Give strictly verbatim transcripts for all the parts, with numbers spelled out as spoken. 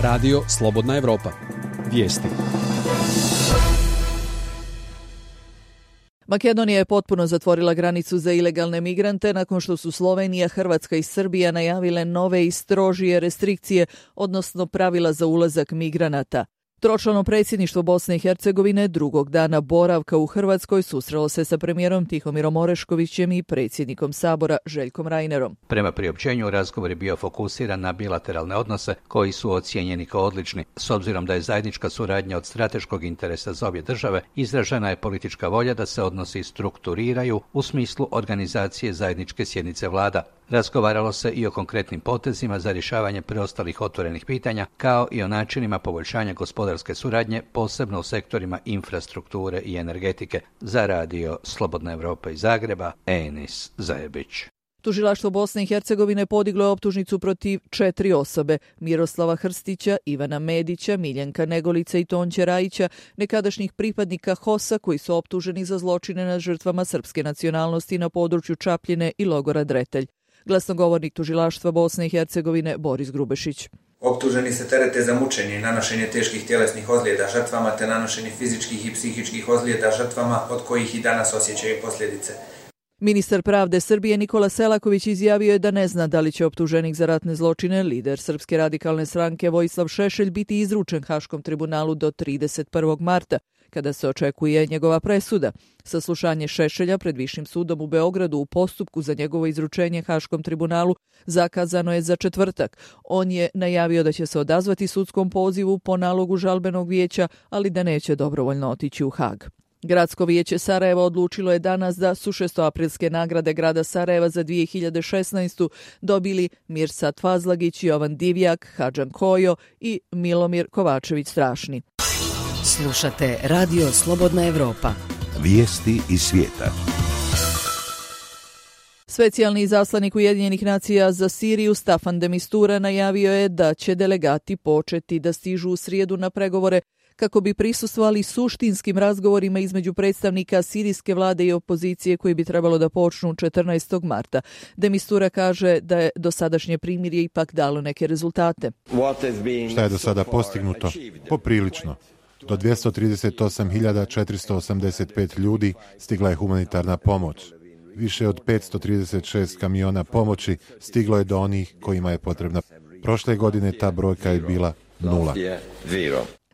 Radio Slobodna Evropa. Vijesti. Makedonija je potpuno zatvorila granicu za ilegalne migrante nakon što su Slovenija, Hrvatska i Srbija najavile nove i strožije restrikcije, odnosno pravila za ulazak migranata. Tročlano predsjedništvo Bosne i Hercegovine drugog dana boravka u Hrvatskoj susrelo se sa premijerom Tihomirom Oreškovićem i predsjednikom Sabora Željkom Reinerom. Prema priopćenju, razgovor je bio fokusiran na bilateralne odnose koji su ocijenjeni kao odlični. S obzirom da je zajednička suradnja od strateškog interesa za obje države, izražena je politička volja da se odnosi strukturiraju u smislu organizacije zajedničke sjednice vlada. Razgovaralo se i o konkretnim potezima za rješavanje preostalih otvorenih pitanja, kao i o načinima poboljšanja gospodarske suradnje, posebno u sektorima infrastrukture i energetike. Za radio Slobodna Evropa iz Zagreba, Enis Zajebić. Tužilaštvo Bosne i Hercegovine podiglo je optužnicu protiv četiri osobe: Miroslava Hrstića, Ivana Medića, Miljenka Negolica i Tonče Rajića, nekadašnjih pripadnika HOS-a koji su optuženi za zločine nad žrtvama srpske nacionalnosti na području Čapljine i logora Dretelj. Glasnogovornik tužilaštva Bosne i Hercegovine Boris Grubešić. Optuženi se terete za mučenje i nanošenje teških tjelesnih ozljeda žrtvama te nanošenje fizičkih i psihičkih ozljeda žrtvama od kojih i danas osjećaju posljedice. Ministar pravde Srbije Nikola Selaković izjavio je da ne zna da li će optuženik za ratne zločine, lider Srpske radikalne stranke Vojislav Šešelj, biti izručen Haškom tribunalu do trideset prvog marta, kada se očekuje njegova presuda. Saslušanje Šešelja pred Višim sudom u Beogradu u postupku za njegovo izručenje Haškom tribunalu zakazano je za četvrtak. On je najavio da će se odazvati sudskom pozivu po nalogu žalbenog vijeća, ali da neće dobrovoljno otići u Hag. Gradsko vijeće Sarajeva odlučilo je danas da su šestoaprilske nagrade grada Sarajeva za dvije hiljade šesnaestu dobili Mirsad Fazlagić, Jovan Divjak, Hadžan Kojo i Milomir Kovačević Strašni. Slušate Radio Slobodna Evropa. Vijesti iz svijeta. Specijalni izaslanik Ujedinjenih nacija za Siriju Staffan de Mistura najavio je da će delegati početi da stižu u srijedu na pregovore kako bi prisustvovali suštinskim razgovorima između predstavnika sirijske vlade i opozicije koji bi trebalo da počnu četrnaestog marta. De Mistura kaže da je dosadašnje primirje ipak dalo neke rezultate. Šta je do sada postignuto? Poprilično. Do dvjesto trideset osam hiljada četiristo osamdeset pet ljudi stigla je humanitarna pomoć. Više od petsto trideset šest kamiona pomoći stiglo je do onih kojima je potrebna. Prošle godine ta brojka je bila nula.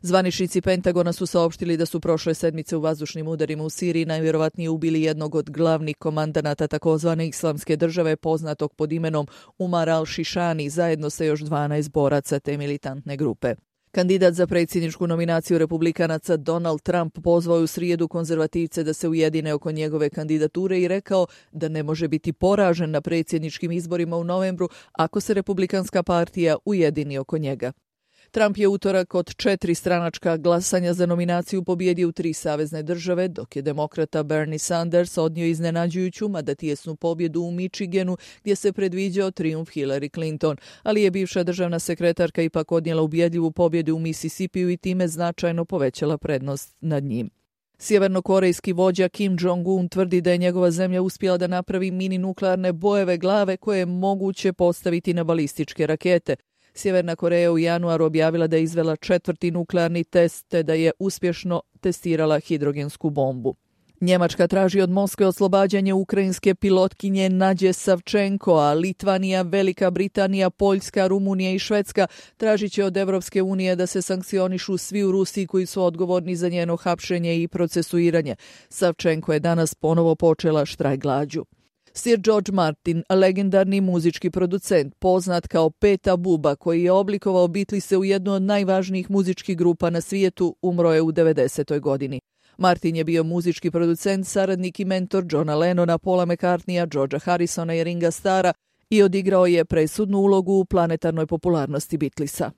Zvaničnici Pentagona su saopštili da su prošle sedmice u vazdušnim udarima u Siriji najvjerovatnije ubili jednog od glavnih komandanata takozvane islamske države, poznatog pod imenom Umar al-Šišani, zajedno sa još dvanaest boraca te militantne grupe. Kandidat za predsjedničku nominaciju republikanaca Donald Trump pozvao je u srijedu konzervativce da se ujedine oko njegove kandidature i rekao da ne može biti poražen na predsjedničkim izborima u novembru ako se Republikanska partija ujedini oko njega. Trump je utorak od četiri stranačka glasanja za nominaciju pobjedio u tri savezne države, dok je demokrata Bernie Sanders odnio iznenađujuću, mada tijesnu pobjedu u Michiganu, gdje se predviđao trijumf Hillary Clinton, ali je bivša državna sekretarka ipak odnijela ubjedljivu pobjedu u Mississippiju i time značajno povećala prednost nad njim. Sjevernokorejski vođa Kim Jong-un tvrdi da je njegova zemlja uspjela da napravi mini nuklearne bojeve glave koje je moguće postaviti na balističke rakete. Sjeverna Koreja u januaru objavila da je izvela četvrti nuklearni test te da je uspješno testirala hidrogensku bombu. Njemačka traži od Moskve oslobađanje ukrajinske pilotkinje Nadje Savčenko, a Litvanija, Velika Britanija, Poljska, Rumunija i Švedska tražit će od Evropske unije da se sankcionišu svi u Rusiji koji su odgovorni za njeno hapšenje i procesuiranje. Savčenko je danas ponovo počela štrajk glađu. Sir George Martin, legendarni muzički producent, poznat kao Peta Buba, koji je oblikovao Beatlese u jednu od najvažnijih muzičkih grupa na svijetu, umro je u devedesetoj godini. Martin je bio muzički producent, saradnik i mentor Johna Lennona, Paula McCartneya, Georgea Harrisona i Ringa Starra i odigrao je presudnu ulogu u planetarnoj popularnosti Beatlesa.